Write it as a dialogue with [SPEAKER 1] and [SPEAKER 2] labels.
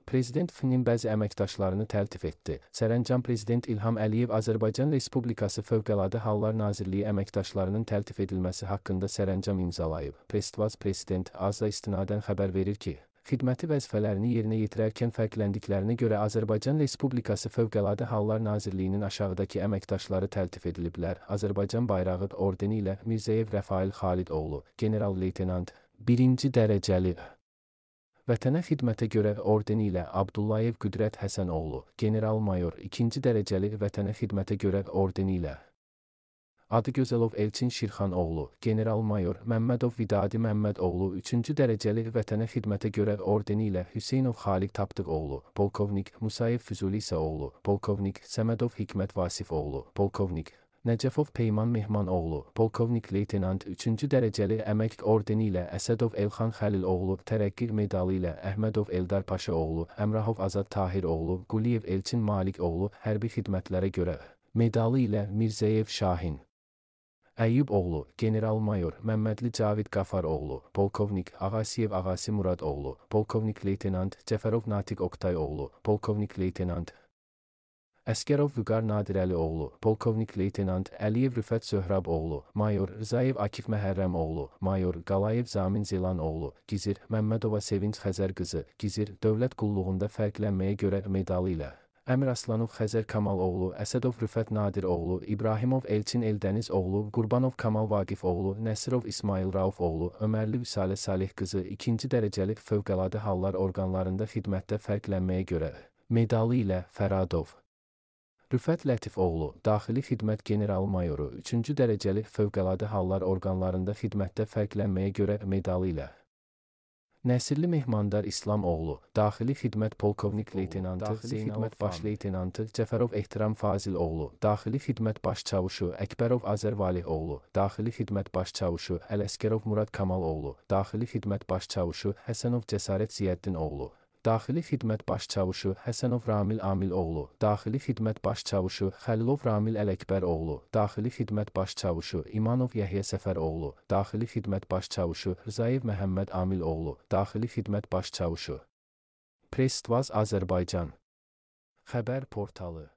[SPEAKER 1] Prezident FİN-in bəzi əməkdaşlarını təltif etdi. Sərəncam Prezident İlham Əliyev Azərbaycan Respublikası Fövqəladə Hallar Nazirliyi əməkdaşlarının təltif edilməsi haqqında sərəncam imzalayıb. Press Prezident AZA istinadən xəbər verir ki, xidməti vəzifələrini yerinə yetirərkən fərqləndiklərinə görə Azərbaycan Respublikası Fövqəladə Hallar Nazirliyinin aşağıdakı əməkdaşları təltif ediliblər. Azərbaycan bayrağı ordeni ilə Mirzəyev Rəfail Xalidoğlu, general-leytenant, 1-ci dərəcəli. Vətənə xidmətə görə ordeni ilə Abdullayev Qüdrət Həsənoğlu, general-mayor, 2-ci dərəcəli. Vətənə xidmətə görə ordeni ilə Adıgözəlov Elçin Şirxanoğlu, general-mayor, Məmmədov Vidadi Məmmədoğlu, 3-cü dərəcəli. Vətənə xidmətə görə ordeni ilə Hüseynov Xaliq Tapdıqoğlu, polkovnik, Musayev Füzuli İsaoğlu, polkovnik, Səmədov Hikmət Vasifoğlu, polkovnik, Nəcəfov Peyman Mehmanoğlu, polkovnik leytenant, 3-cü dərəcəli əmək ordeni ilə Əsədov Elxan Xəliloğlu, tərəqqi medalı ilə Əhmədov Eldar Paşaoğlu, Əmrahov Azad Tahiroğlu, Quliyev Elçin Malikoğlu, hərbi xidmətlərə görə medalı ilə Mirzəyev Şahin Əyyuboğlu, general-mayor, Məmmədli Cavid Qafaroğlu, polkovnik, Ağasiyev Ağasi Muradoğlu, polkovnik leytenant, Cəfərov Natiq Oqtayoğlu, polkovnik leytenant, Əskərov Vüqar Nadirəlioğlu, polkovnik leytenant, Əliyev Rüfət Söhraboğlu, mayor, Rzayev Akif Məhərrəmoğlu, mayor, Qalayev Zamin Zelanoğlu, Gizir, Məmmədova Sevinç Xəzər qızı, Gizir, dövlət qulluğunda fərqlənməyə görə medalı ilə Əmir Aslanov Xəzər Kamaloğlu, Əsədov Rüfət Nadiroğlu, İbrahimov Elçin Eldənizoğlu, Qurbanov Kamal Vaqifoğlu, Nəsirov İsmail Raufoğlu, Ömərli Vüsalə Salih qızı, 2-ci dərəcəli. Fövqəladə Hallar orqanlarında xidmətdə fərqlənməyə görə medalı ilə Fəradov Rüfət Lətifoğlu, daxili xidmət general-mayoru, 3-cü dərəcəli. Fövqəladə Hallar orqanlarında xidmətdə fərqlənməyə görə medalı ilə Nəsirli Mehmandar İslamoğlu, daxili xidmət polkovnik leytenantı, xidmət baş leytenantı, Cəfərov Ehtiram Faziloğlu, daxili xidmət baş çavuşu, Əkbərov Azər Valihoğlu, daxili xidmət baş çavuşu, Ələskərov Murad Kamaloğlu, daxili xidmət baş çavuşu, Həsənov Cəsarət Ziyəddinoğlu, daxili xidmət baş çavuşu, Həsənov Ramil Amiloğlu, daxili xidmət baş çavuşu, Xəlilov Ramil Ələkbəroğlu, daxili xidmət baş çavuşu, İmanov Yəhyə Səfəroğlu, daxili xidmət baş çavuşu, Rzayev Məhəmməd Amiloğlu, daxili xidmət baş çavuşu. Press Azərbaycan xəbər portalı.